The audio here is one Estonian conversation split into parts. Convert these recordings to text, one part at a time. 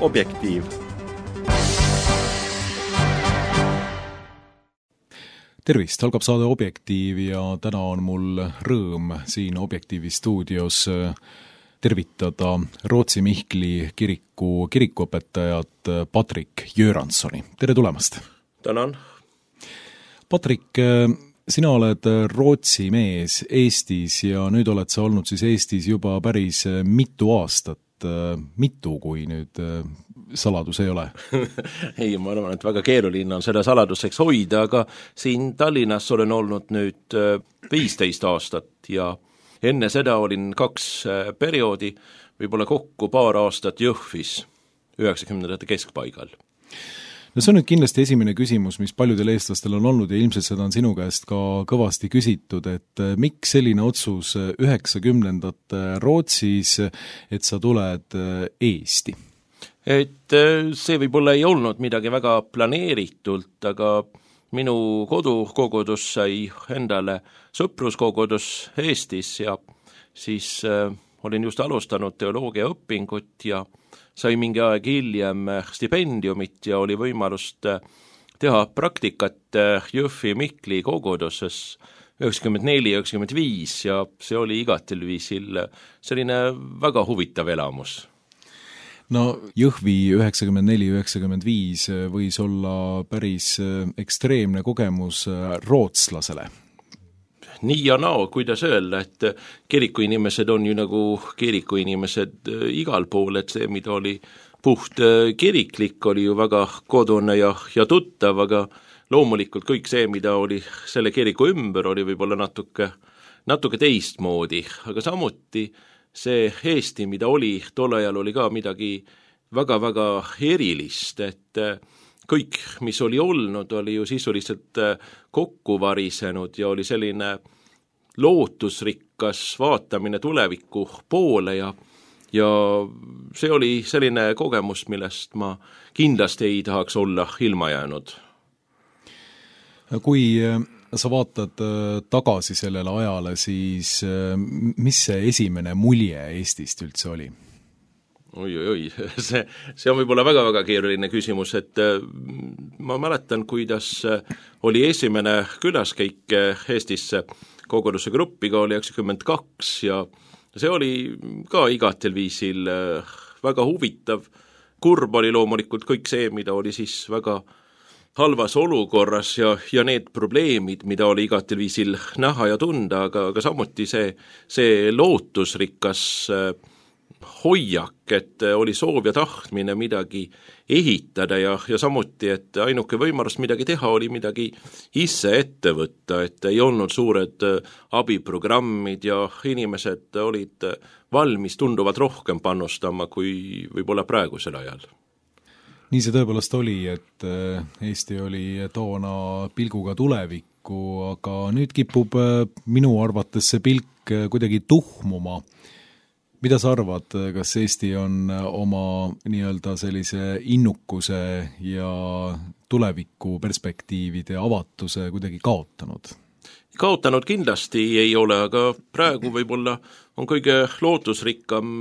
Objektiiv. Tervist, algab saade Objektiiv ja täna on mul rõõm siin Objektiivi stuudios tervitada Rootsi Mihkli kirikuõpetajat Patrik Göranssoni. Tere tulemast! Tänan! Patrik, sina oled Rootsi mees Eestis ja nüüd oled sa olnud siis Eestis juba päris mitu aastat. Mitu, kui nüüd saladus ei ole? Ei, ma arvan, et väga keeruline on seda saladuseks hoida, aga siin Tallinnas olen olnud nüüd 15 aastat ja enne seda olin 2 perioodi, võib-olla kokku paar aastat Jõhvis 90. keskpaigal. No see on nüüd kindlasti esimene küsimus, mis paljudel eestlastel on olnud ja ilmselt seda on sinu käest ka kõvasti küsitud, et miks selline otsus 90. Rootsis, et sa tuled Eesti? Et see võib-olla ei olnud midagi väga planeeritult, aga minu kodukogudus sai endale sõpruskogudus Eestis ja siis olin just alustanud teoloogia õpingut ja sai mingi aeg hiljem stipendiumit ja oli võimalust teha praktikat Jõhvi Mihkli koguduses 94-95 ja see oli igatel viisil selline väga huvitav elamus. No Jõhvi 94-95 võis olla päris ekstreemne kogemus rootslasele. Nii ja nao, kuidas öelda, et kirikuinimesed on ju nagu kirikuinimesed igal pool, et see, mida oli puht kiriklik, oli ju väga kodune ja tuttav, aga loomulikult kõik see, mida oli selle kiriku ümber, oli võib-olla natuke teistmoodi, aga samuti see Eesti, mida oli, tol ajal oli ka midagi väga-väga erilist, et kõik, mis oli olnud, oli ju sisuliselt kokku varisenud ja oli selline lootusrikkas vaatamine tuleviku poole ja see oli selline kogemus, millest ma kindlasti ei tahaks olla ilma jäänud. Kui sa vaatad tagasi sellele ajale, siis mis see esimene mulje Eestist üldse oli? Oi, see on võib-olla väga-väga keeruline küsimus, et ma mäletan, kuidas oli esimene külaskäik Eestisse koguduse gruppiga oli 92 ja see oli ka igatel viisil väga huvitav. Kurb oli loomulikult kõik see, mida oli siis väga halvas olukorras ja need probleemid, mida oli igatel viisil näha ja tunda, aga samuti see lootusrikas hoiak, et oli soov ja tahtmine midagi ehitada ja samuti, et ainuke võimalus midagi teha oli midagi ise ette võtta, et ei olnud suured abiprogrammid ja inimesed olid valmis tunduvalt rohkem panustama kui võib-olla praegusel ajal. Nii see tõepoolest oli, et Eesti oli toona pilguga tulevikku, aga nüüd kipub minu arvates see pilk kuidagi tuhmuma. Mida sa arvad, kas Eesti on oma nii-öelda sellise innukuse ja tuleviku perspektiivide avatuse kuidagi kaotanud? Kaotanud kindlasti ei ole, aga praegu võib-olla on kõige lootusrikkam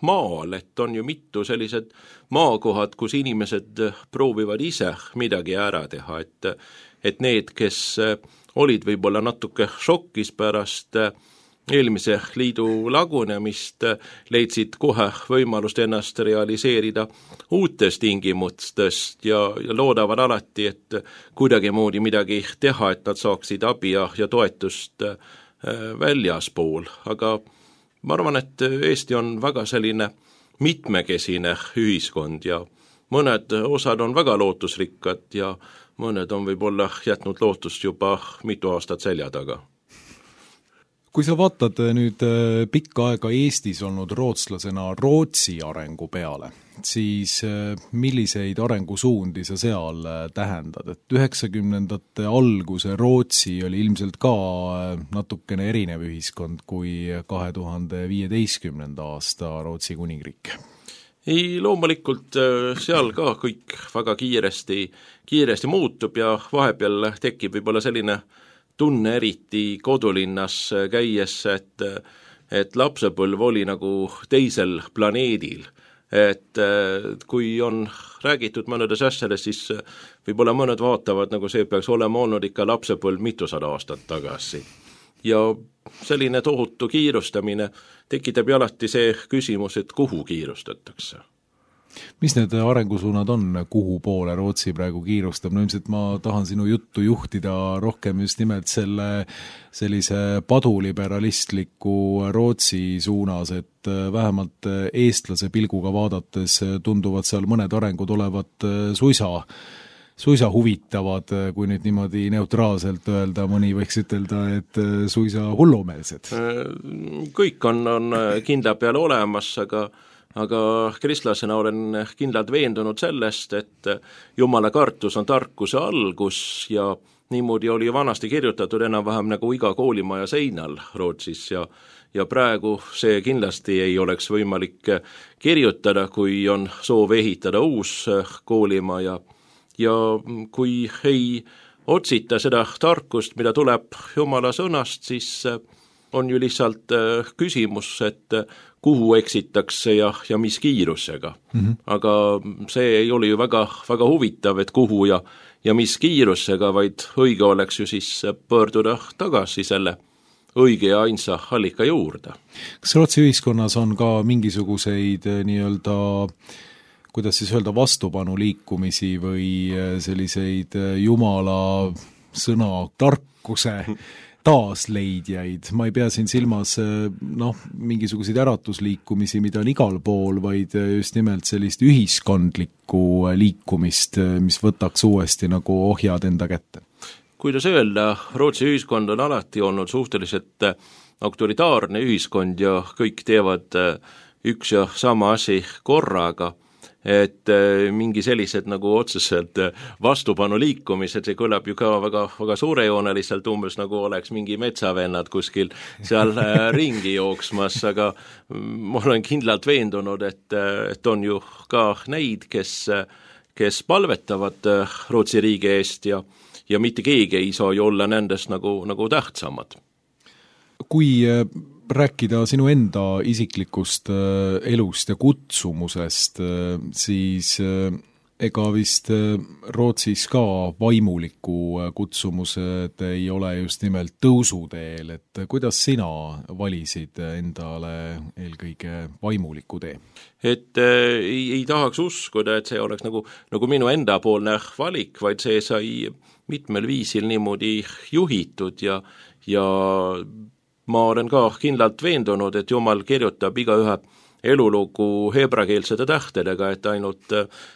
maal, et on ju mitu sellised maakohad, kus inimesed proovivad ise midagi ära teha, et need, kes olid võib-olla natuke šokis pärast eelmise liidu lagunemist, leidsid kohe võimalust ennast realiseerida uutest tingimustest ja loodavad alati, et kuidagimoodi midagi teha, et nad saaksid abi ja toetust väljaspool. Aga ma arvan, et Eesti on väga selline mitmekesine ühiskond ja mõned osad on väga lootusrikkad ja mõned on võib-olla jätnud lootust juba mitu aastat selja taga. Kui sa vaatad nüüd pikka aega Eestis olnud rootslasena Rootsi arengu peale, siis milliseid arengusuundi sa seal tähendad? Et 90. alguse Rootsi oli ilmselt ka natukene erinev ühiskond kui 2015. aasta Rootsi kuningriik. Ei, loomulikult seal ka kõik väga kiiresti muutub ja vahepeal tekib võib-olla selline tunne eriti kodulinnas käies, et lapsepõlv oli nagu teisel planeedil. et kui on räägitud mõnedes asjades, siis võib-olla mõned vaatavad, nagu see peaks olema olnud ikka lapsepõlv mitusada aastat tagasi. Ja selline tohutu kiirustamine tekitab ju alati see küsimus, et kuhu kiirustatakse. Mis need arengusuunad on, kuhu poole Rootsi praegu kiirustab? No ilmselt ma tahan sinu juttu juhtida rohkem just nimelt sellise paduliberalistliku Rootsi suunas, et vähemalt eestlase pilguga vaadates tunduvad seal mõned arengud olevat suisa huvitavad, kui nüüd niimoodi neutraalselt öelda, mõni võiks ütelda, et suisa hullumeelsed. Kõik on kindla peale olemas, aga kristlasena olen kindlalt veendunud sellest, et Jumala kartus on tarkuse algus ja niimoodi oli vanasti kirjutatud enam-vähem nagu iga koolimaja seinal Rootsis ja praegu see kindlasti ei oleks võimalik kirjutada, kui on soov ehitada uus koolimaja ja kui ei otsita seda tarkust, mida tuleb Jumala sõnast, siis on ju lihtsalt küsimus, et kuhu eksitakse ja mis kiirusega. Aga see ei ole ju väga huvitav, et kuhu ja mis kiirusega, vaid õige oleks ju siis pöörduda tagasi selle õige ja ainsa allika juurde. Kas Rootsi ühiskonnas on ka mingisuguseid nii-öelda, kuidas siis öelda, vastupanu liikumisi või selliseid Jumala sõna tarkuse taasleidjaid? Ma ei pea siin silmas mingisuguseid äratusliikumisi, mida on igal pool, vaid just nimelt sellist ühiskondlikku liikumist, mis võtaks uuesti nagu ohjad enda kätte. Kuidas öelda, Rootsi ühiskond on alati olnud suhteliselt autoritaarne ühiskond ja kõik teevad üks ja sama asi korraga, et mingi sellised nagu otseselt vastupanu liikumised, see kõlab ju ka väga suurejooneliselt, umbes nagu oleks mingi metsavennad kuskil seal ringi jooksmas, aga ma olen kindlalt veendunud, et on ju ka neid, kes palvetavad Rootsi riigi eest ja mitte keegi ei saa ju olla nendest nagu tähtsamad. Kui rääkida sinu enda isiklikust elust ja kutsumusest, siis ega vist Rootsis ka vaimuliku kutsumused ei ole just nimelt tõusuteel, et kuidas sina valisid endale eelkõige vaimuliku tee? Et ei tahaks uskuda, et see oleks nagu minu endapoolne valik, vaid see sai mitmel viisil niimoodi juhitud ja ma olen ka kindlalt veendunud, et Jumal kirjutab igaühe elulugu heebrakeelsete tähtedega, et ainult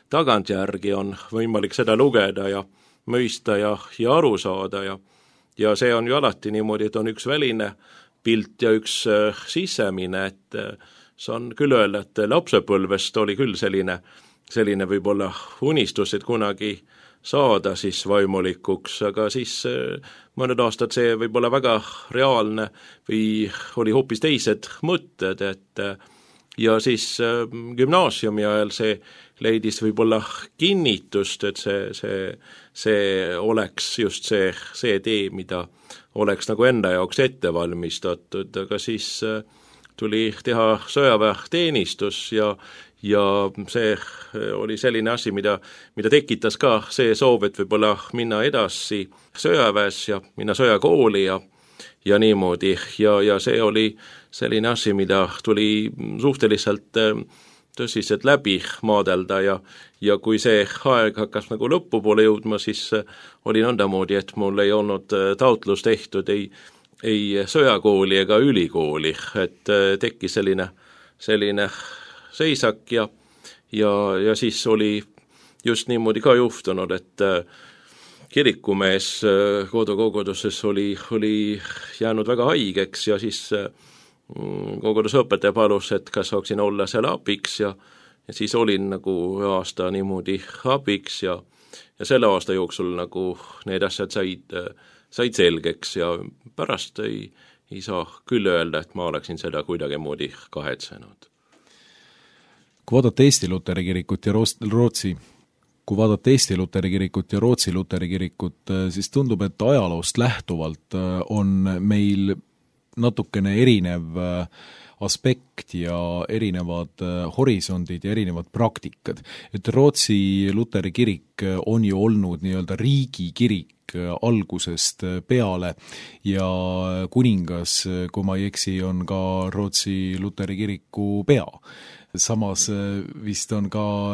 tagantjärgi on võimalik seda lugeda ja mõista ja aru saada ja see on ju alati niimoodi, et on üks väline pilt ja üks sisemine, et saan küll öelda, et lapsepõlvest oli küll selline võib-olla unistus, et kunagi saada siis vaimulikuks, aga siis mõned aastad see võib olla väga reaalne või oli hoopis teised mõtted, et ja siis gümnaasiumi ajal see leidis võib-olla kinnitust, et see oleks just see tee, mida oleks nagu enda jaoks ette valmistatud, aga siis tuli teha sõjaväeteenistus ja see oli selline asi, mida tekitas ka see soov, et võib-olla minna edasi sõjaväes ja minna sõjakooli ja niimoodi ja see oli selline asi, mida tuli suhteliselt tõsiselt läbi maadelda ja kui see aeg hakkas nagu lõpupoole jõudma, siis oli nõndamoodi, et mul ei olnud taotlus tehtud ei sõjakooli ega ülikooli, et tekkis selline seisak ja siis oli just niimoodi ka juhtunud, et kirikumees kodukoguduses oli jäänud väga haigeks ja siis koguduse õpetaja palus, et kas saaksin olla seal abiks ja siis olin nagu aasta niimoodi abiks ja selle aasta jooksul nagu need asjad said selgeks ja pärast ei saa küll öelda, et ma oleksin seda kuidagi moodi kahetsenud. Kui vaadata Eesti Luteri kirikut ja Rootsi Luteri kirikut, siis tundub, et ajaloost lähtuvalt on meil natukene erinev aspekt ja erinevad horisondid ja erinevad praktikad. Et Rootsi luteri kirik on ju olnud nii-öelda riigikirik algusest peale ja kuningas, kui ma ei eksi, on ka Rootsi luteri kiriku pea. Samas vist on ka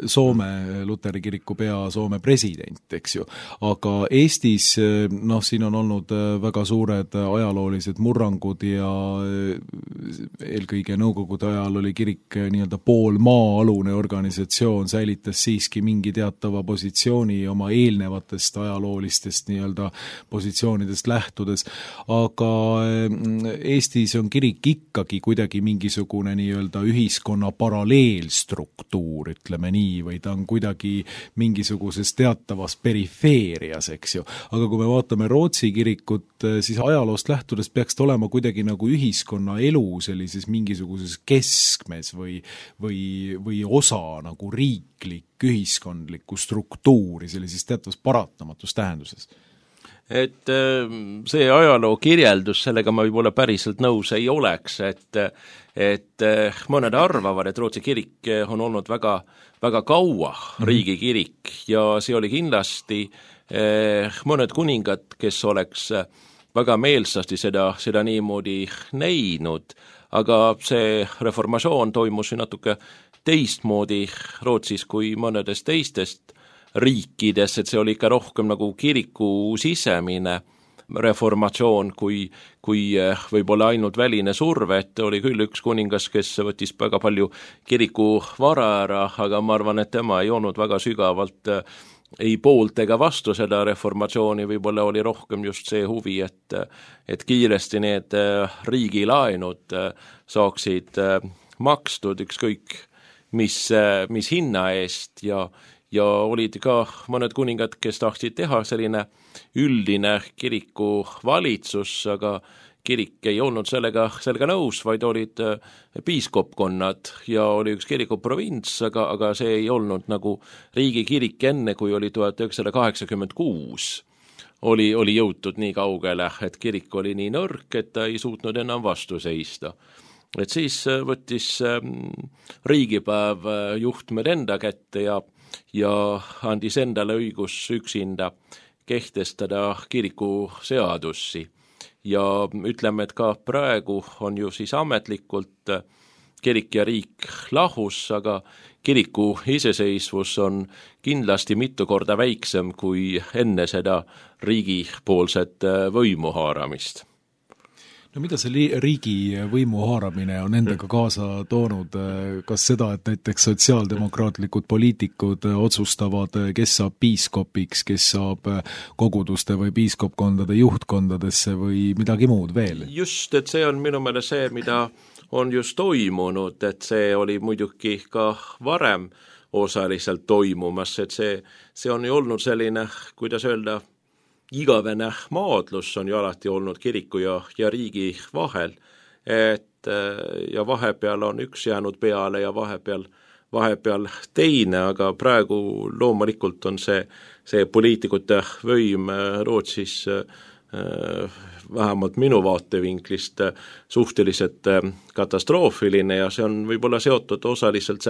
Soome luteri kiriku pea Soome president, eks ju. Aga Eestis, siin on olnud väga suured ajaloolised murrangud ja eelkõige nõukogude ajal oli kirik nii-öelda pool maa-alune organisatsioon, säilitas siiski mingi teatava positsiooni oma eelnevatest ajaloolistest nii-öelda positsioonidest lähtudes. Aga Eestis on kirik ikkagi kuidagi mingisugune nii-öelda ühiskonna paralleelstruktuur, ütleme nii, või ta on kuidagi mingisuguses teatavas perifeerias, eks ju. Aga kui me vaatame Rootsi kirikut, siis ajaloost lähtudes peaks ta olema kuidagi nagu ühiskonna elu sellises mingisuguses keskmes või osa nagu riiklik ühiskondlikku struktuuri sellises teatavas paratamatus tähenduses. Et see ajaloo kirjeldus, sellega ma võib-olla päriselt nõus ei oleks, et mõned arvavad, et Rootsi kirik on olnud väga, väga kaua riigikirik ja see oli kindlasti mõned kuningad, kes oleks väga meelsasti seda niimoodi näinud, aga see reformatsioon toimus natuke teistmoodi Rootsis kui mõnedest teistest riikides, et see oli ikka rohkem nagu kiriku sisemine reformatsioon kui võib-olla ainult väline surve, et oli küll üks kuningas, kes võttis väga palju kiriku vara ära, aga ma arvan, et tema ei olnud väga sügavalt ei poolt ega vastu seda reformatsiooni, võib-olla oli rohkem just see huvi, et kiiresti need riigilaenud saaksid makstud ükskõik mis hinna eest ja olid ka mõned kuningad, kes tahtsid teha selline üldine kiriku valitsus, aga kirik ei olnud sellega nõus, vaid olid piiskopkonnad ja oli üks kirikuprovints, aga see ei olnud nagu riigikirik enne, kui oli 1986. Oli jõutud nii kaugele, et kirik oli nii nõrk, et ta ei suutnud enam vastu seista. Et siis võttis riigipäev juhtmed enda kätte ja andis endale õigus üksinda kehtestada kirikuseadussi. Ja ütleme, et ka praegu on ju siis ametlikult kirik ja riik lahus, aga kiriku iseseisvus on kindlasti mitu korda väiksem kui enne seda riigipoolset võimu haaramist. No mida see riigi võimu haaramine on endaga kaasa toonud? Kas seda, et näiteks sotsiaaldemokraatlikud poliitikud otsustavad, kes saab piiskopiks, kes saab koguduste või piiskopkondade juhtkondadesse või midagi muud veel? Just, et see on minu meelest see, mida on just toimunud, et see oli muidugi ka varem osaliselt toimumas, et see on ju olnud selline, kuidas öelda, igavene maadlus on ju alati olnud kiriku ja riigi vahel, et ja vahepeal on üks jäänud peale ja vahepeal teine, aga praegu loomulikult on see poliitikute võim Rootsis vähemalt minu vaatevinklist suhteliselt katastroofiline ja see on võib-olla seotud osaliselt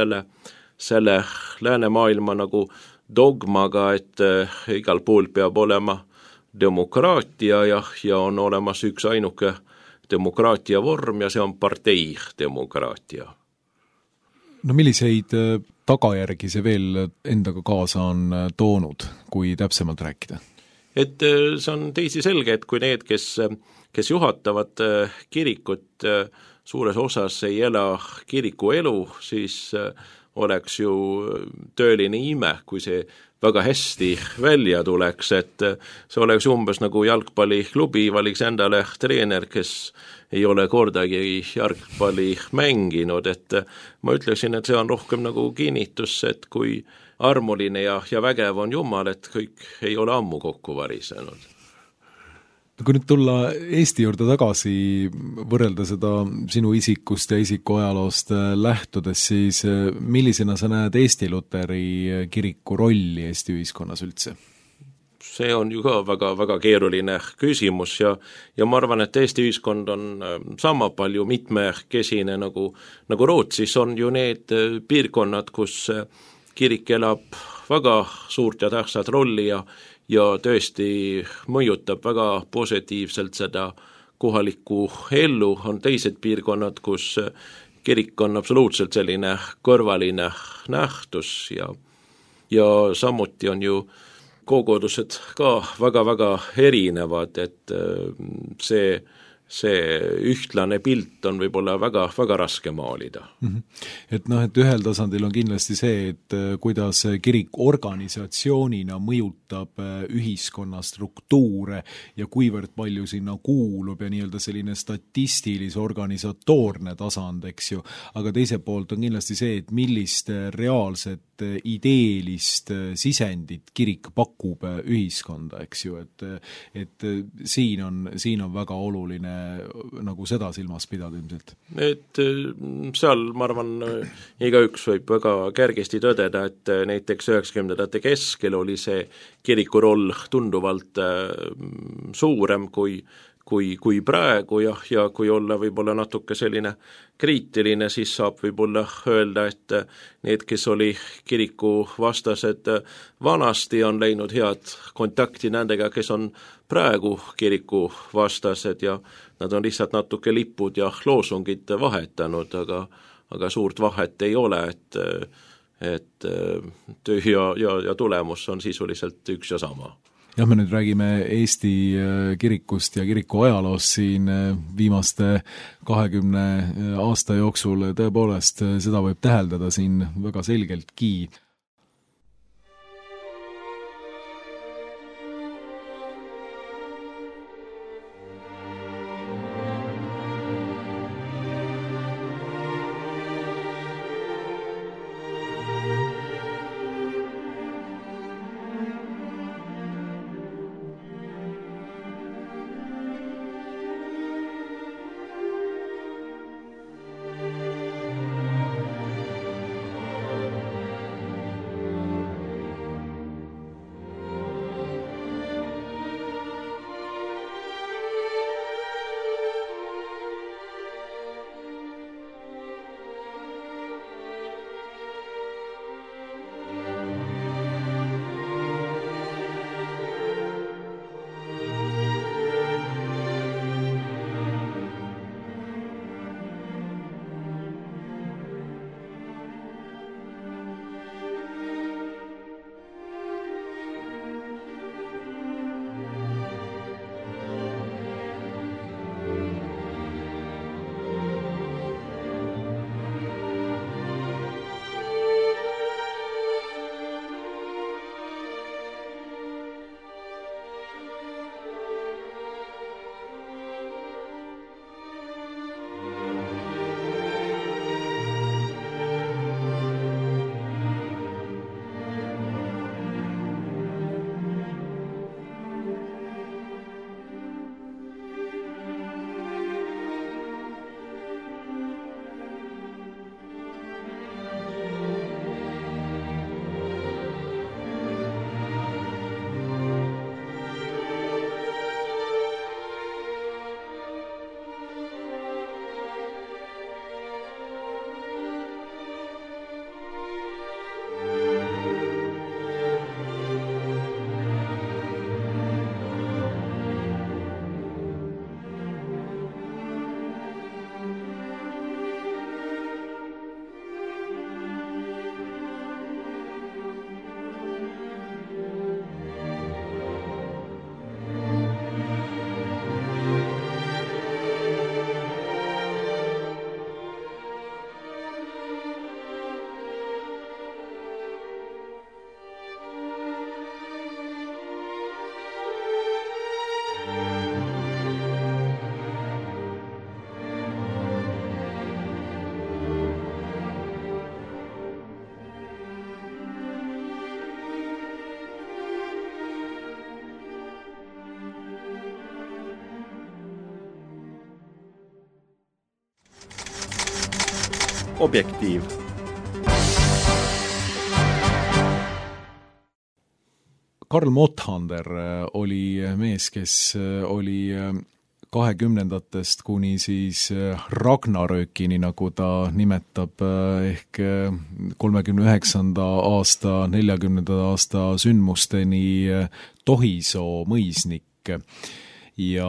selle läänemaailma nagu dogmaga, et igal pool peab olema demokraatia ja on olemas üks ainuke demokraatia vorm ja see on parteidemokraatia. No milliseid tagajärgi see veel endaga kaasa on toonud, kui täpsemalt rääkida? Et see on teisi selge, et kui need, kes juhatavad kirikut, suures osas ei ela kiriku elu, siis oleks ju tööline ime, kui see väga hästi välja tuleks, et see oleks umbes nagu jalgpalliklubi valiks endale treener, kes ei ole kordagi jalgpalli mänginud, et ma ütleksin, et see on rohkem nagu kinnitus, et kui armuline ja vägev on Jumal, et kõik ei ole ammu kokku varisenud. Kui nüüd tulla Eesti juurde tagasi, võrrelda seda sinu isikust ja isiku ajaloost lähtudes, siis millisena sa näed Eesti Luteri kiriku rolli Eesti ühiskonnas üldse? see on ju ka väga keeruline küsimus ja ma arvan, et Eesti ühiskond on sama palju mitmekesine nagu Rootsis on ju need piirkonnad, kus kirik elab väga suurt ja tähtsat rolli ja tõesti mõjutab väga positiivselt seda kohalikku ellu, on teised piirkonnad, kus kirik on absoluutselt selline kõrvaline nähtus ja samuti on ju kogudused ka väga erinevad, et see ühtlane pilt on võib-olla väga raske maalida. Et et ühel tasandil on kindlasti see, et kuidas kirik organisatsioonina mõjutab ühiskonna struktuure ja kuivõrd palju sinna kuulub ja nii-öelda selline statistilis organisatoorne tasand, eks ju, aga teiselt poolt on kindlasti see, et millist reaalset ideelist sisendit kirik pakub ühiskonda, eks ju, et siin on väga oluline nagu seda silmas pidada ilmselt. Et seal, ma arvan, igaüks võib väga kergesti tõdeda, et näiteks 90ndate keskel oli see kiriku roll tunduvalt suurem kui praegu ja kui olla võib-olla natuke selline kriitiline, siis saab võib-olla öelda, et need, kes oli kiriku vastased vanasti, on leidnud head kontakti nendega, kes on praegu kiriku vastased ja nad on lihtsalt natuke lipud ja loosungid vahetanud, aga suurt vahet ei ole, et töö ja tulemus on sisuliselt üks ja sama. Jah, me nüüd räägime Eesti kirikust ja kiriku ajaloost siin viimaste 20 aasta jooksul, tõepoolest seda võib täheldada siin väga selgeltki. Objektiiv. Karl Motthander oli mees, kes oli 20-ndatest kuni siis Ragnarökini, nagu ta nimetab, ehk 39. aasta, 40. aasta sündmusteni Tohisoo mõisnik. Ja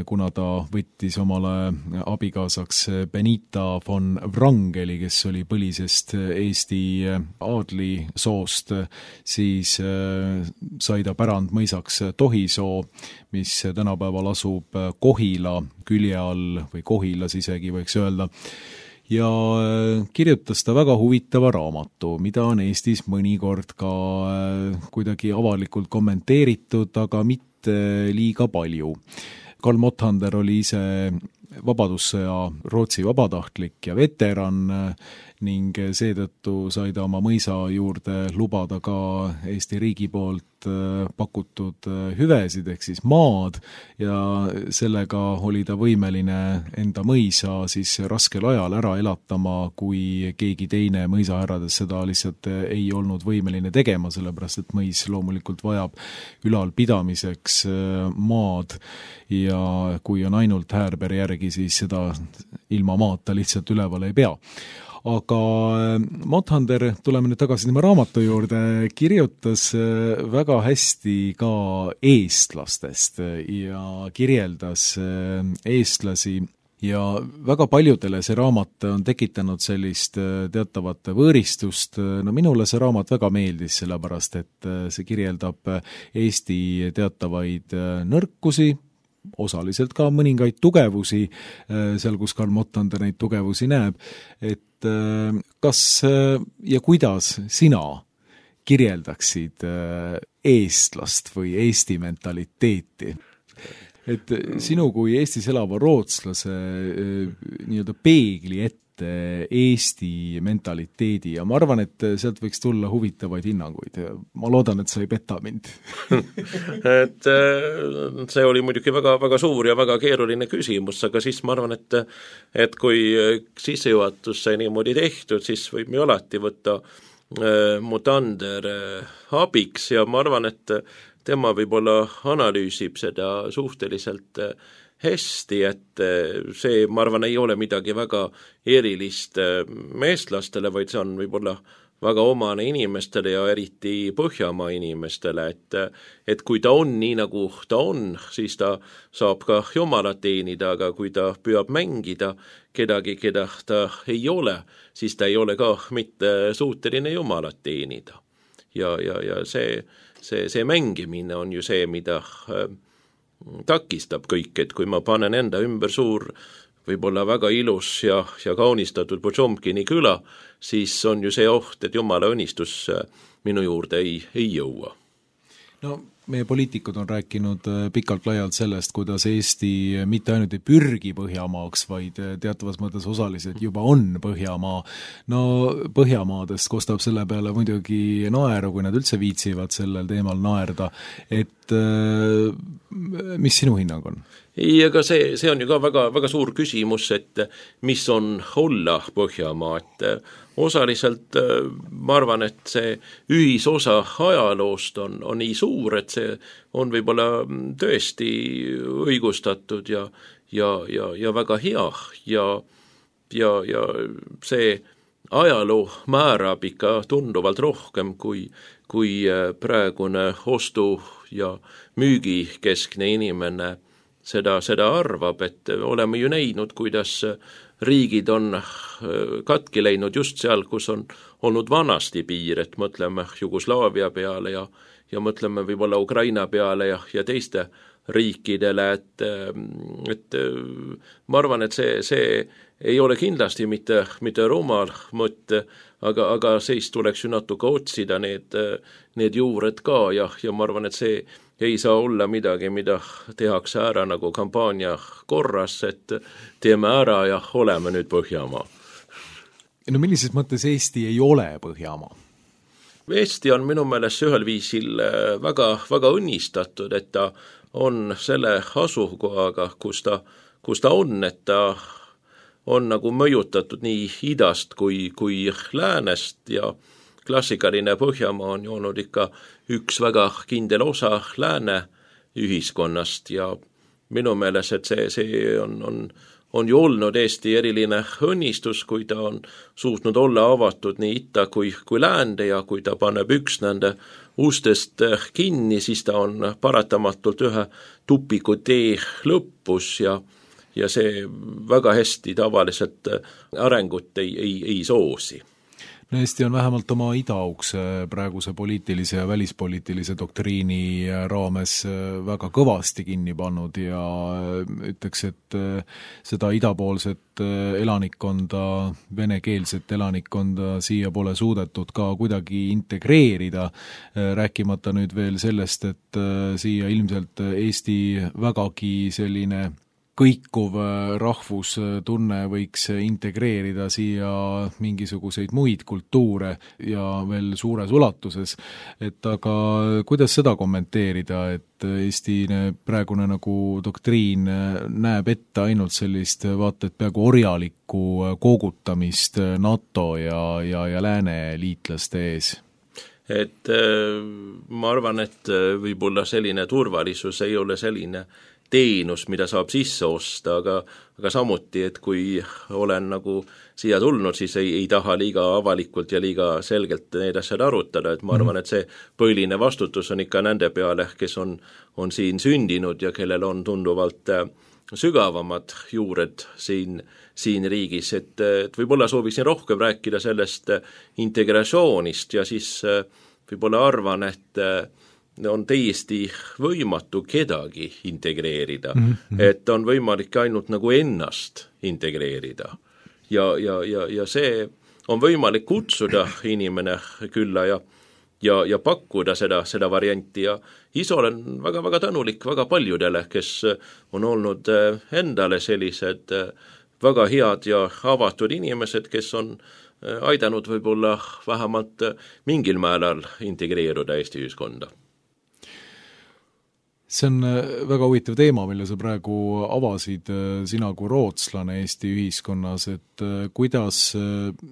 kuna ta võttis omale abikaasaks Benita von Wrangeli, kes oli põlisest Eesti aadlisoost, siis sai ta pärandmõisaks Tohisoo, mis tänapäeval asub Kohila külje all või Kohilas isegi võiks öelda. Ja kirjutas ta väga huvitava raamatu, mida on Eestis mõnikord ka kuidagi avalikult kommenteeritud, aga mitte liiga palju. Karl Motthander oli ise vabadussõja Rootsi vabatahtlik ja veteran ning seetõttu sai ta oma mõisa juurde lubada ka Eesti riigi poolt pakutud hüvesid ehk siis maad ja sellega oli ta võimeline enda mõisa siis raskel ajal ära elatama, kui keegi teine mõisahärrades seda lihtsalt ei olnud võimeline tegema, sellepärast et mõis loomulikult vajab ülalpidamiseks maad ja kui on ainult häärber järgi, siis seda ilma maata lihtsalt üleval ei pea. Aga Motthander, tuleme nüüd tagasi tema raamatu juurde, kirjutas väga hästi ka eestlastest ja kirjeldas eestlasi ja väga paljudele see raamat on tekitanud sellist teatavat võõristust. No minule see raamat väga meeldis, sellepärast et see kirjeldab Eesti teatavaid nõrkusi, osaliselt ka mõningaid tugevusi, seal kus Karl Motthander neid tugevusi näeb, et kas ja kuidas sina kirjeldaksid eestlast või Eesti mentaliteeti? Et sinu kui Eestis elava rootslase nii-öelda peegli ette Eesti mentaliteedi ja ma arvan, et sealt võiks tulla huvitavaid hinnanguid. Ma loodan, et sa ei peta mind. Et see oli muidugi väga, väga suur ja väga keeruline küsimus, aga siis ma arvan, et kui sissejuhatus sai niimoodi tehtud, siis võib ju alati võtta Motthander abiks ja ma arvan, et tema võib-olla analüüsib seda suhteliselt hästi, et see, ma arvan, ei ole midagi väga erilist eestlastele, vaid see on võib-olla väga omane inimestele ja eriti Põhjamaa inimestele, et kui ta on nii, nagu ta on, siis ta saab ka jumalat teenida, aga kui ta püüab mängida kedagi, keda ta ei ole, siis ta ei ole ka mitte suuteline jumalat teenida. Ja see mängimine on ju see, mida takistab kõik, et kui ma panen enda ümber suur, võib-olla väga ilus ja kaunistatud Potšomkini küla, siis on ju see oht, et jumala õnnistus minu juurde ei jõua. No meie poliitikud on rääkinud pikalt laialt sellest, kuidas Eesti mitte ainult ei pürgi Põhjamaaks, vaid teatavas mõttes osaliselt juba on Põhjamaa. No Põhjamaadest kostab selle peale muidugi naeru, kui nad üldse viitsivad sellel teemal naerda, et mis sinu hinnang on? Ei, aga see on ju ka väga, väga suur küsimus, et mis on olla Põhjamaa, et osaliselt ma arvan, et see ühisosa ajaloost on nii suur, et see on võib-olla tõesti õigustatud ja väga hea ja see ajaloo määrab ikka tunduvalt rohkem kui praegune ostu- ja müügikeskne inimene seda arvab, et oleme ju näinud, kuidas riigid on katki läinud just seal, kus on olnud vanasti piir, et mõtleme Jugoslaavia peale ja mõtleme võib-olla Ukraina peale ja teiste riikidele, et ma arvan, et see ei ole kindlasti mitte rumal mõte, aga siis tuleks ju natuke otsida need juured ka ja ma arvan, et see ei saa olla midagi, mida tehakse ära nagu kampaania korras, et teeme ära ja oleme nüüd Põhjamaa. No millises mõttes Eesti ei ole Põhjamaa? Eesti on minu meelest ühel viisil väga, väga õnnistatud, et ta on selle asukohaga, kus ta on, et ta on nagu mõjutatud nii idast kui läänest ja klassikaline Põhjamaa on ju olnud ikka üks väga kindel osa lääne ühiskonnast ja minu meelest, et see on ju olnud Eesti eriline õnnistus, kui ta on suutnud olla avatud nii itta kui läände ja kui ta paneb üks nende ustest kinni, siis ta on paratamatult ühe tupiku tee lõpus ja see väga hästi tavaliselt arengut ei soosi. No Eesti on vähemalt oma idaukse praeguse poliitilise ja välispoliitilise doktriini raames väga kõvasti kinni pannud ja ütleks, et seda idapoolset elanikkonda, venekeelset elanikkonda siia pole suudetud ka kuidagi integreerida, rääkimata nüüd veel sellest, et siia ilmselt Eesti vägagi selline kõikuv rahvustunne võiks integreerida siia mingisuguseid muid kultuure ja veel suures ulatuses, et aga kuidas seda kommenteerida, et Eesti praegune nagu doktriin näeb ette ainult sellist vaata, et peaaegu orjalikku koogutamist NATO ja lääne liitlaste ees? Et ma arvan, et võib-olla selline turvalisus ei ole selline teenus, mida saab sisse osta, aga samuti, et kui olen nagu siia tulnud, siis ei taha liiga avalikult ja liiga selgelt need asjad arutada, et ma arvan, et see põhiline vastutus on ikka nende peale, kes on siin sündinud ja kellel on tunduvalt sügavamad juured siin riigis, et võib-olla sooviksin rohkem rääkida sellest integratsioonist ja siis võib-olla arvan, et on täiesti võimatu kedagi integreerida, et on võimalik ainult nagu ennast integreerida ja see on võimalik kutsuda inimene külla ja pakkuda seda varianti ja ise olen väga tänulik väga paljudele, kes on olnud endale sellised väga head ja avatud inimesed, kes on aidanud võib-olla vähemalt mingil määral integreeruda Eesti ühiskonda. See on väga huvitav teema, mille sa praegu avasid, sina kui rootslane Eesti ühiskonnas, et kuidas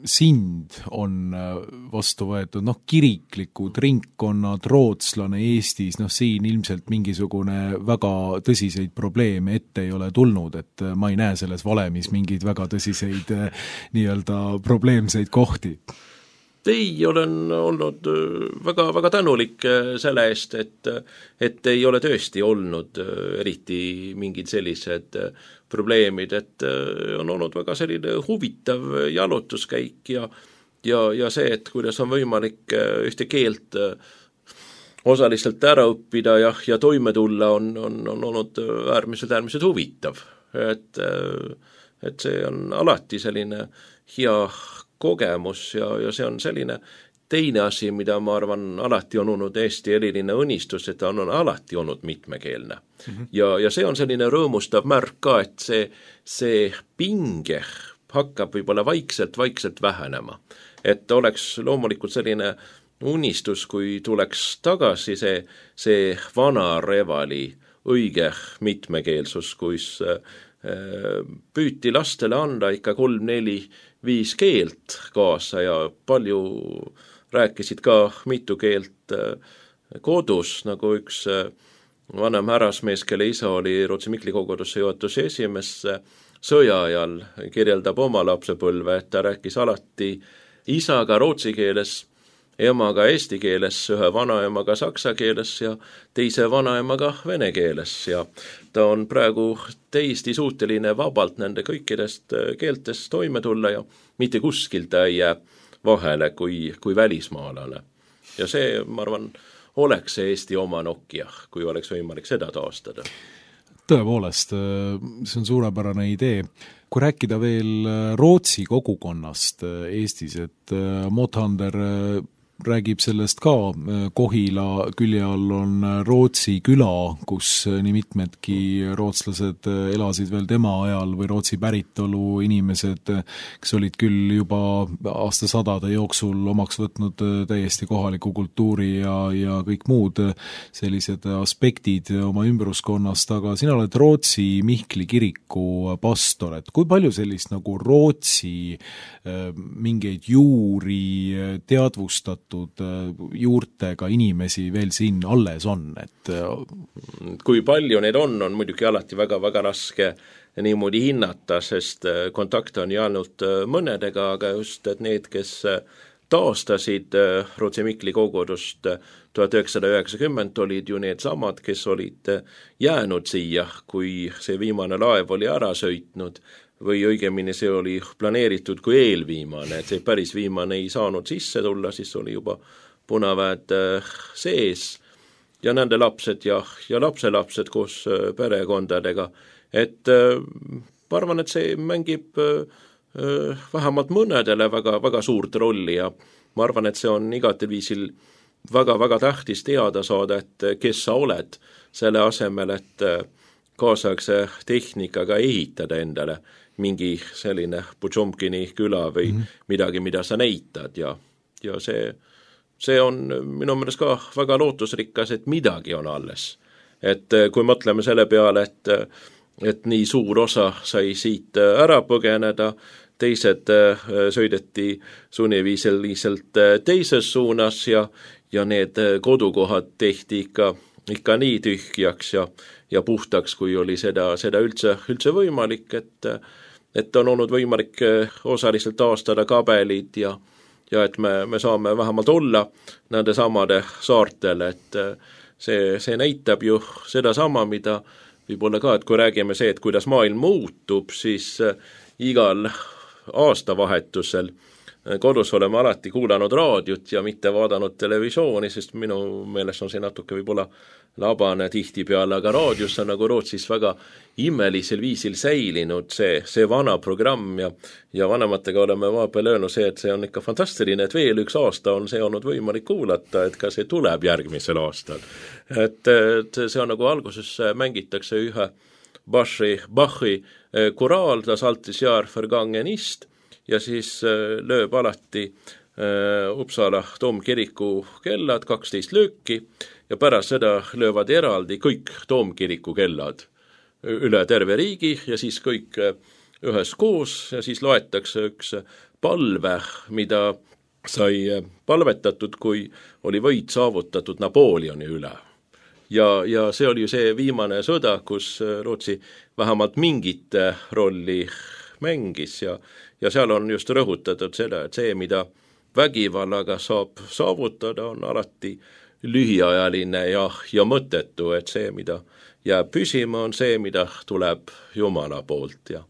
sind on vastu võetud, kiriklikud ringkonnad, rootslane Eestis, siin ilmselt mingisugune väga tõsiseid probleeme ette ei ole tulnud, et ma ei näe selles valemis mingeid väga tõsiseid nii-öelda probleemseid kohti. Ei, olen olnud väga tänulik selle eest, et ei ole tõesti olnud eriti mingid sellised probleemid, et on olnud väga selline huvitav jalutuskäik ja see, et kuidas on võimalik ühte keelt osaliselt ära õppida ja toime tulla, on olnud äärmiselt huvitav. Et see on alati selline hea kogemus ja see on selline teine asi, mida ma arvan alati on olnud Eesti eriline õnnistus, et ta on alati olnud mitmekeelne. Ja see on selline rõõmustav märk ka, et see pinge hakkab võib-olla vaikselt vähenema. Et oleks loomulikult selline unistus, kui tuleks tagasi see vana Revali õige mitmekeelsus, kus püüti lastele anda ikka 3-4-5 keelt kaasa ja palju rääkisid ka mitu keelt kodus, nagu üks vanem härrasmees, kelle isa oli Rootsi Mikli kogudusse juhatuse esimees, sõja ajal kirjeldab oma lapsepõlve, et ta rääkis alati isaga rootsi keeles, emaga eesti keeles, ühe vanaemaga saksa keeles ja teise vanaemaga vene keeles ja ta on praegu täiesti suuteline vabalt nende kõikidest keeltest toime tulla ja mitte kuskilt ta ei jää vahele kui välismaalane. Ja see, ma arvan, oleks see Eesti oma Nokia, kui oleks võimalik seda taastada. Tõepoolest, see on suurepärane idee. Kui rääkida veel Rootsi kogukonnast Eestis, et Mothander räägib sellest ka, Kohila külje all on Rootsi küla, kus nii mitmedki rootslased elasid veel tema ajal või Rootsi päritolu inimesed, kes olid küll juba aastasadade jooksul omaks võtnud täiesti kohaliku kultuuri ja kõik muud sellised aspektid oma ümbruskonnast, aga sina oled Rootsi Mihkli kiriku pastor, et kui palju sellist nagu Rootsi mingeid juuri teadvustat seotud juurtega inimesi veel siin alles on, et kui palju neid on muidugi alati väga-väga raske niimoodi hinnata, sest kontakte on ju ainult mõnedega, aga just et need, kes taastasid Rootsi Mikli kogudust 1990, olid ju need samad, kes olid jäänud siia, kui see viimane laev oli ära sõitnud, või õigemini see oli planeeritud kui eelviimane, et see päris viimane ei saanud sisse tulla, siis oli juba punaväed sees ja nende lapsed ja lapselapsed koos perekondadega. Et ma arvan, et see mängib vähemalt mõnedele väga suurt rolli ja ma arvan, et see on igatel viisil väga tähtis teada saada, et kes sa oled selle asemel, et kaasaegse tehnikaga ehitada endale mingi selline Potšomkini küla või midagi, mida sa näitad ja see on minu meelest ka väga lootusrikas, et midagi on alles. Et kui mõtleme selle peale, et nii suur osa sai siit ära põgeneda, teised sõideti sunniviisiliselt teises suunas ja need kodukohad tehti ikka nii tühjaks ja puhtaks, kui oli seda üldse võimalik, et on olnud võimalik osaliselt taastada kabelid ja et me saame vähemalt olla nende samade saartel, et see näitab ju seda sama, mida võib-olla ka, et kui räägime see, et kuidas maailm muutub, siis igal aastavahetusel kodus oleme alati kuulanud raadiot ja mitte vaadanud televisiooni, sest minu meelest on see natuke võib-olla labane tihtipeale, aga raadios on nagu Rootsis väga imelisel viisil säilinud see vana programm ja vanematega oleme vahepeal öelnud see, et see on ikka fantastiline, et veel üks aasta on see olnud võimalik kuulata, et ka see tuleb järgmisel aastal. Et see on nagu alguses mängitakse ühe Bachi koraal, das altes jaar vergangen ist, ja siis lööb alati Uppsala Toomkiriku kellad 12 lööki ja pärast seda löövad eraldi kõik Toomkiriku kellad üle terve riigi ja siis kõik üheskoos ja siis loetakse üks palve, mida sai palvetatud, kui oli võit saavutatud Napoleoni üle. Ja see oli ju see viimane sõda, kus Rootsi vähemalt mingit rolli mängis ja seal on just rõhutatud seda, et see, mida vägivallaga saab saavutada, on alati lühiajaline ja mõttetu, et see, mida jääb püsima, on see, mida tuleb Jumala poolt ja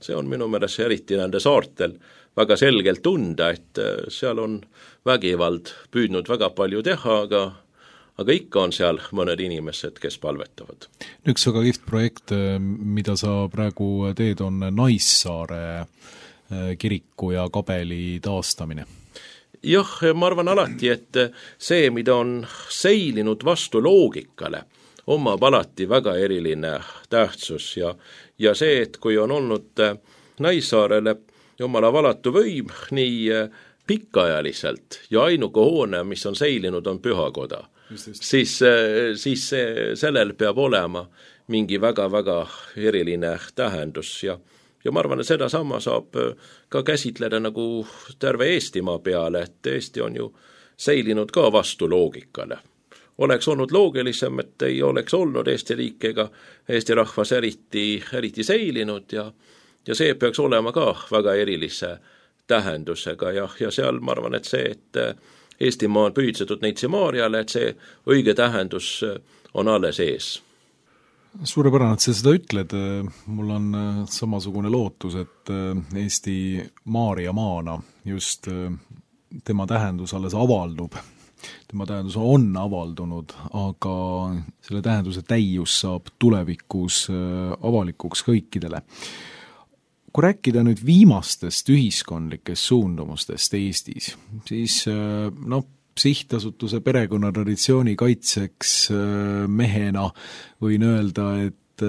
see on minu meelest eriti nende saartel väga selgelt tunda, et seal on vägivald püüdnud väga palju teha, aga ikka on seal mõned inimesed, kes palvetavad. Üks väga kihvt projekt, mida sa praegu teed, on Naissaare kiriku ja kabeli taastamine. Jah, ma arvan alati, et see, mida on seilinud vastu loogikale, omab alati väga eriline tähtsus ja see, et kui on olnud Naissaarele Jumala valatu võim nii pikaajaliselt ja ainuke hoone, mis on seilinud, on pühakoda. Siis sellel peab olema mingi väga-väga eriline tähendus ja ma arvan, et seda sama saab ka käsitleda nagu terve Eestimaa peale, et Eesti on ju seilinud ka vastu loogikale. Oleks olnud loogilisem, et ei oleks olnud Eesti riik ega Eesti rahvas eriti seilinud ja see peaks olema ka väga erilise tähendusega ja seal ma arvan, et see, et Eestimaa on pühitsetud Neitsi Maarjale, et see õige tähendus on alles ees. Suurepärane, et sa seda ütled. Mul on samasugune lootus, et Eesti Maarja maana just tema tähendus alles avaldub. Tema tähendus on avaldunud, aga selle tähenduse täius saab tulevikus avalikuks kõikidele. Kui rääkida nüüd viimastest ühiskondlikest suundumustest Eestis, siis sihtasutuse perekonnatraditsiooni kaitseks mehena võin öelda, et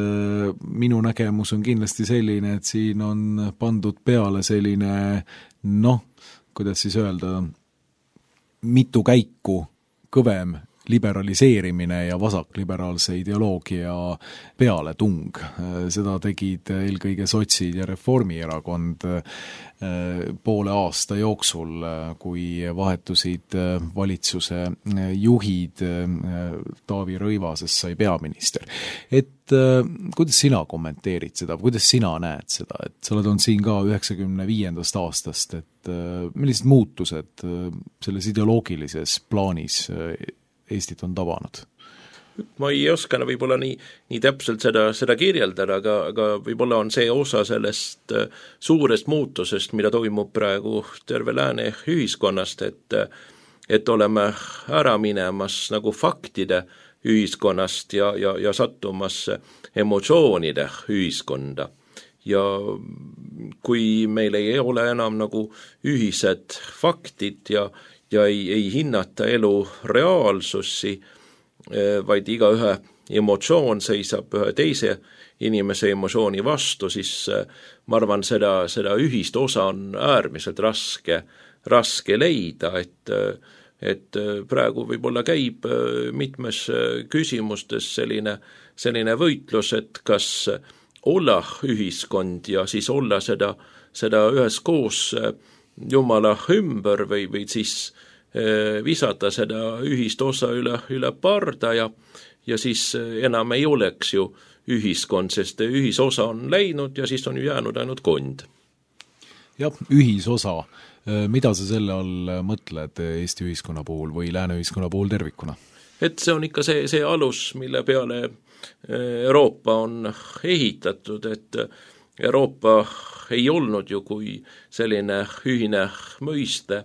minu nägemus on kindlasti selline, et siin on pandud peale selline, kuidas siis öelda, mitu käiku kõvem liberaliseerimine ja vasakliberaalse ideoloogia pealetung. Seda tegid eelkõige sotsid ja Reformierakond poole aasta jooksul, kui vahetusid valitsuse juhid, Taavi Rõivasest sai peaminister. Et kuidas sina kommenteerid seda, kuidas sina näed seda, et sa oled olnud siin ka 95. aastast, et millised muutused selles ideoloogilises plaanis Eestit on tabanud? Ma ei oska võib-olla nii täpselt seda kirjeldada, aga võib-olla on see osa sellest suurest muutusest, mida toimub praegu terve lääne ühiskonnast, et oleme ära minemas nagu faktide ühiskonnast ja sattumas emotsioonide ühiskonda. Ja kui meil ei ole enam nagu ühised faktid ja ei hinnata elu reaalsusi, vaid igaühe emotsioon seisab ühe teise inimese emotsiooni vastu, siis ma arvan, seda ühist osa on äärmiselt raske leida, et praegu võib-olla käib mitmes küsimustes selline võitlus, et kas olla ühiskond ja siis olla seda üheskoos Jumala ümber või siis visata seda ühist osa üle parda ja siis enam ei oleks ju ühiskond, sest ühisosa on läinud ja siis on ju jäänud ainult kond. Jah, ühisosa. Mida sa selle all mõtled Eesti ühiskonna puhul või lääne ühiskonna puhul tervikuna? Et see on ikka see alus, mille peale Euroopa on ehitatud, et Euroopa ei olnud ju kui selline ühine mõiste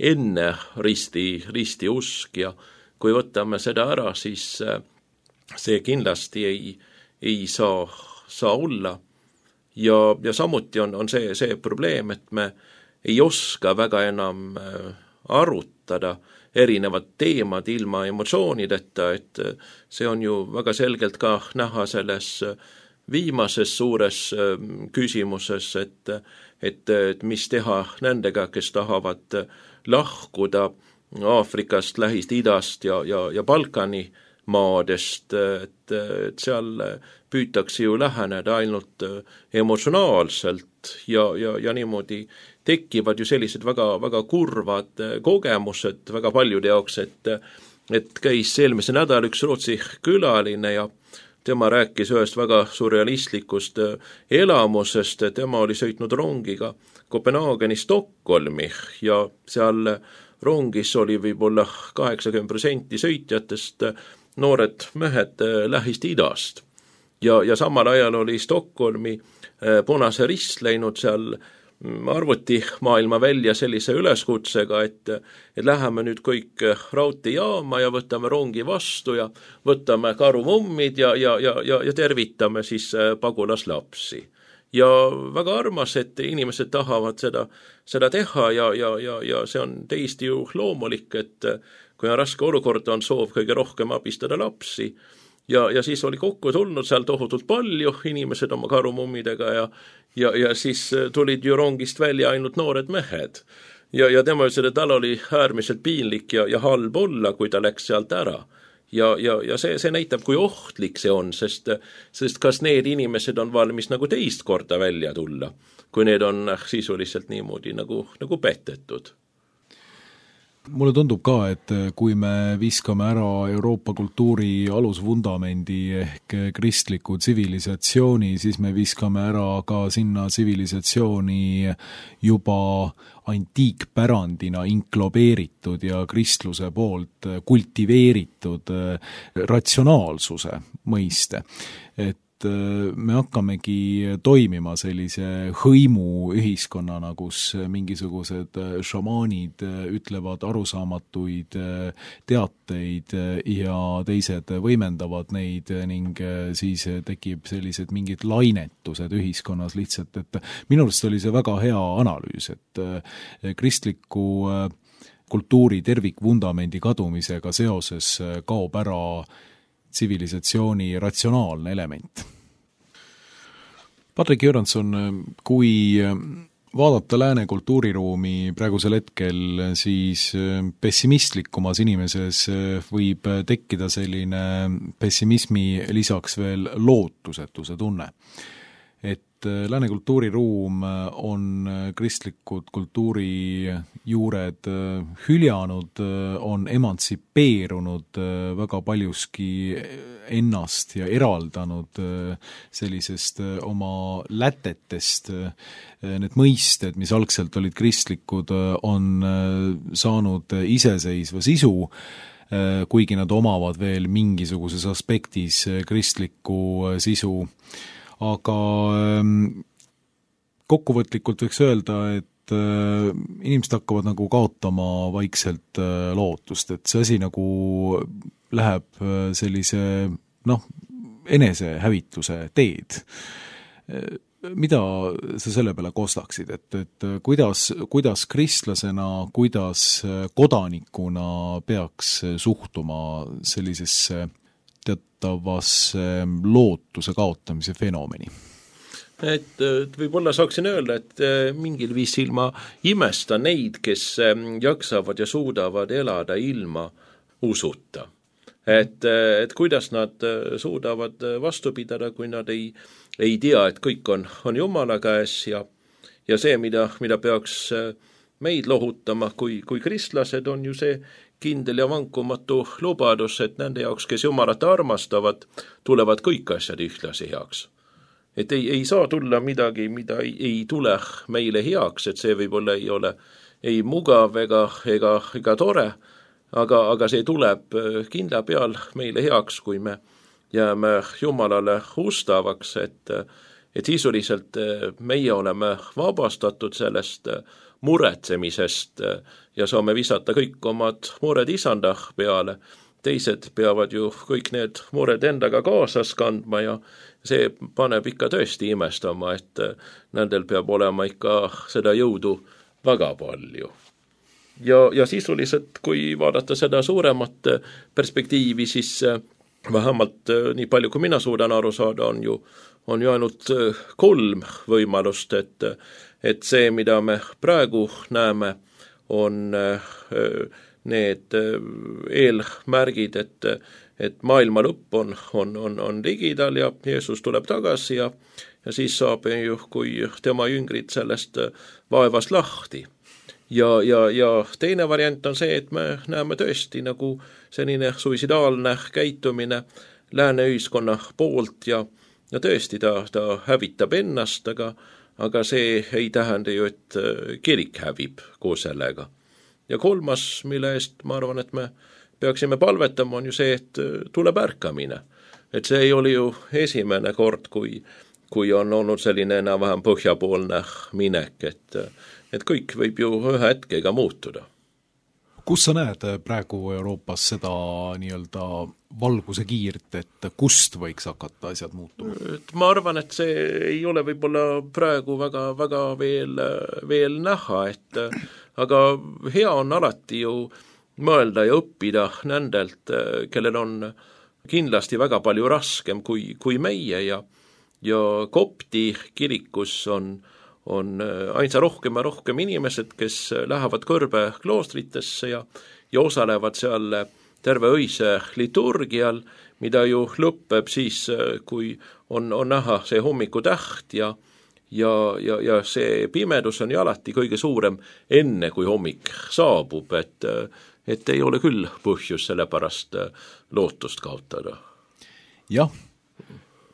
enne risti usk ja kui võtame seda ära, siis see kindlasti ei saa olla. Ja samuti on see probleem, et me ei oska väga enam arutada erinevad teemad ilma emotsioonideta, et see on ju väga selgelt ka näha selles viimases suures küsimuses, et mis teha nendega, kes tahavad lahkuda Aafrikast, Lähis-Idast ja Balkani maadest, et seal püütakse ju läheneda ainult emotsionaalselt ja niimoodi tekivad ju sellised väga kurvad kogemused väga paljude jaoks, et käis eelmise nädal üks Rootsi külaline ja tema rääkis ühest väga surrealistlikust elamusest, tema oli sõitnud rongiga Kopenhaageni Stockholmi ja seal rongis oli võib-olla 80% sõitjatest noored mehed Lähis-Idast. Ja samal ajal oli Stockholmi Punase Rist läinud seal arvutimaailma välja sellise üleskutsega, et läheme nüüd kõik raudteejaama ja võtame rongi vastu ja võtame karumummid ja tervitame siis pagulaslapsi. Ja väga armas, et inimesed tahavad seda teha ja see on täiesti ju loomulik, et kui on raske olukord, on soov kõige rohkem abistada lapsi. Ja siis oli kokku tulnud seal tohutult palju inimesed oma karumummidega ja siis tulid ju rongist välja ainult noored mehed. Ja tema ütles, et tal oli äärmiselt piinlik ja halb olla, kui ta läks sealt ära. Ja see näitab, kui ohtlik see on, sest kas need inimesed on valmis nagu teist korda välja tulla, kui need on sisuliselt niimoodi nagu petetud. Mulle tundub ka, et kui me viskame ära Euroopa kultuuri alusvundamendi ehk kristliku tsivilisatsiooni, siis me viskame ära ka sinna tsivilisatsiooni juba antiikpärandina inklobeeritud ja kristluse poolt kultiveeritud ratsionaalsuse mõiste. Et me hakkamegi toimima sellise hõimu ühiskonnana, kus mingisugused šamaanid ütlevad arusaamatuid teateid ja teised võimendavad neid ning siis tekib sellised mingid lainetused ühiskonnas lihtsalt, et minu arust oli see väga hea analüüs, et kristliku kultuuri tervikvundamendi kadumisega seoses kaob ära tsivilisatsiooni ratsionaalne element. Patrik Jüranson, kui vaadata lääne kultuuriruumi praegusel hetkel, siis pessimistikumas inimeses võib tekkida selline pessimismi lisaks veel lootusetuse tunne. Et lääne kultuuriruum on kristlikud kultuurijuured hüljanud, on emantsipeerunud väga paljuski ennast ja eraldanud sellisest oma lätetest. Need mõisted, mis algselt olid kristlikud, on saanud iseseisva sisu, kuigi nad omavad veel mingisuguses aspektis kristlikku sisu. Aga kokkuvõtlikult võiks öelda, et inimesed hakkavad nagu kaotama vaikselt lootust, et see asi nagu läheb sellise enesehävituse teed. Mida sa selle peale kostaksid, et kuidas kristlasena, kuidas kodanikuna peaks suhtuma sellisesse teatavasse lootuse kaotamise fenomeni? Et võib-olla saaksin öelda, et mingil viisil ma imestan neid, kes jaksavad ja suudavad elada ilma usuta. Et kuidas nad suudavad vastu pidada, kui nad ei tea, et kõik on Jumala käes ja see, mida peaks meid lohutama kui kristlased, on ju see kindel ja vankumatu lubadus, et nende jaoks, kes Jumalat armastavad, tulevad kõik asjad ühtlasi heaks. Et ei saa tulla midagi, mida ei tule meile heaks, et see võib-olla ei ole ei mugav ega tore, aga see tuleb kindla peal meile heaks, kui me jääme Jumalale ustavaks, et sisuliselt meie oleme vabastatud sellest muretsemisest ja saame visata kõik omad mured isanda peale. Teised peavad ju kõik need mured endaga kaasas kandma ja see paneb ikka tõesti imestama, et nendel peab olema ikka seda jõudu väga palju. Ja sisuliselt, kui vaadata seda suuremat perspektiivi, siis vähemalt nii palju, kui mina suudan aru saada, on ju ainult 3 võimalust, et see, mida me praegu näeme, on need eelmärgid, et maailma lõpp on ligidal ja Jeesus tuleb tagasi ja siis saab ju, kui tema jüngrid sellest vaevast lahti. Ja teine variant on see, et me näeme tõesti nagu selline suicidaalne käitumine lääne ühiskonna poolt ja tõesti ta hävitab ennast, aga see ei tähenda ju, et kirik hävib koos sellega. Ja 3, mille eest ma arvan, et me peaksime palvetama, on ju see, et tuleb ärkamine. Et see ei oli ju esimene kord, kui on olnud selline enam-vähem põhjapoolne minek, et kõik võib ju ühe hetkega muutuda. Kus sa näed praegu Euroopas seda nii-öelda valguse kiirt, et kust võiks hakata asjad muutuma? Ma arvan, et see ei ole võib-olla praegu väga veel näha, aga hea on alati ju mõelda ja õppida nendelt, kellel on kindlasti väga palju raskem kui meie ja kopti kirikus on ainsa rohkem ja rohkem inimesed, kes lähevad kõrbe kloostritesse ja osalevad seal terve öise liturgial, mida ju lõpeb siis, kui on näha see hommikutäht ja see pimedus on ju alati kõige suurem enne, kui hommik saabub, et ei ole küll põhjus selle pärast lootust kaotada. Jah,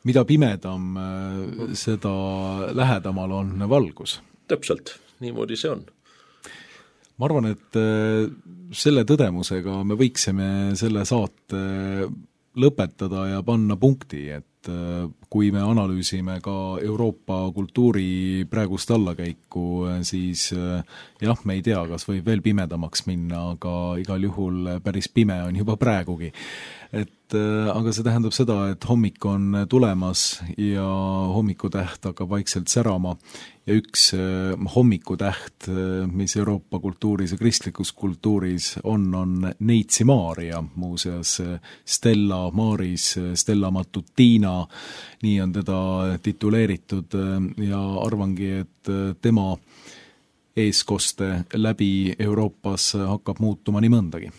mida pimedam, seda lähedamal on valgus. Täpselt, niimoodi see on. Ma arvan, et selle tõdemusega me võiksime selle saate lõpetada ja panna punkti, et kui me analüüsime ka Euroopa kultuuri praegust allakäiku, siis jah, me ei tea, kas võib veel pimedamaks minna, aga igal juhul päris pime on juba praegugi. aga see tähendab seda, et hommik on tulemas ja hommikutäht hakkab vaikselt särama ja üks hommikutäht, mis Euroopa kultuuris ja kristlikus kultuuris on Neitsi Maarja, muuseas Stella Maris, Stella Matutina, nii on teda tituleeritud ja arvangi, et tema eeskoste läbi Euroopas hakkab muutuma nii mõndagi.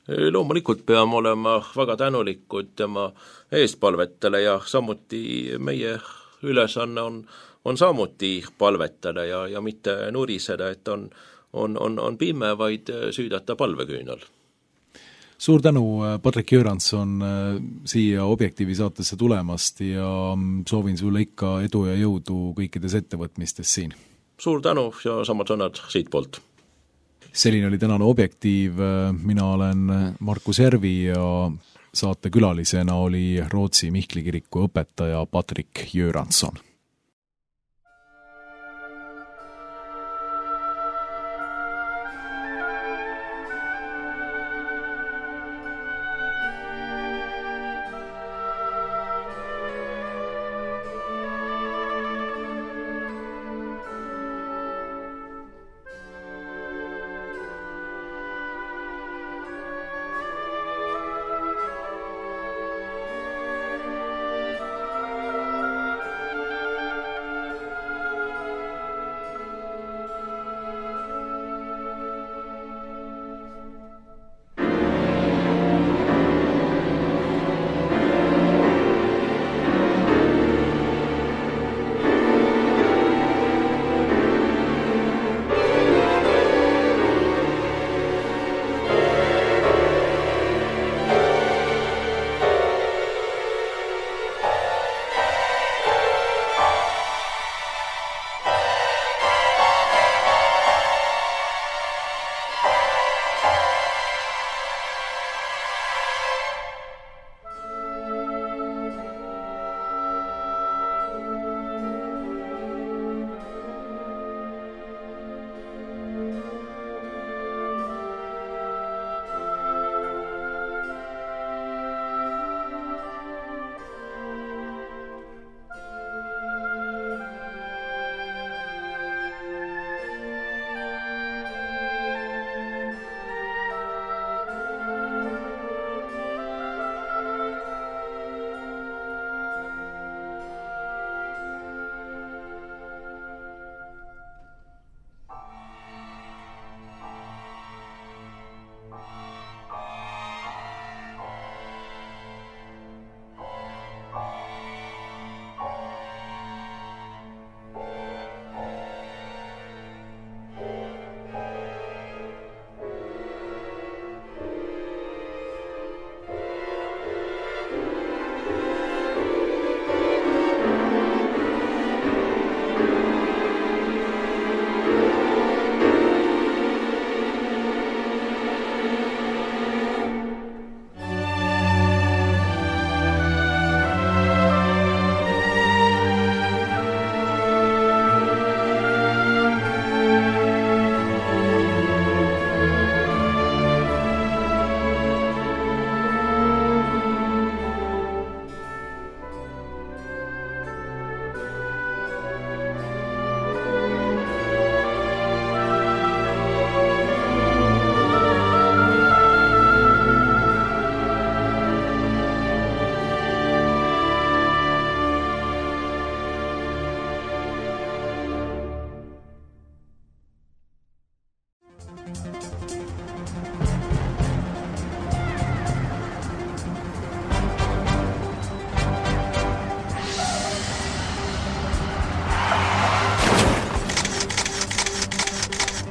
Loomulikult peame olema väga tänulikud tema eespalvetele ja samuti meie ülesanne on samuti palvetada ja mitte nuriseda, et on pime, vaid süüdata palveküünal. Suur tänu, Patrik Göransson, siia Objektiivi saatesse tulemast ja soovin sulle ikka edu ja jõudu kõikides ettevõtmistes siin. Suur tänu ja samad sõnad siit poolt. Selline oli tänane Objektiiv, mina olen Markus Järvi ja saate külalisena oli Rootsi Mihkli kiriku õpetaja Patrik Göransson.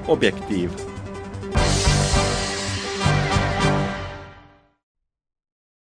Objektiiv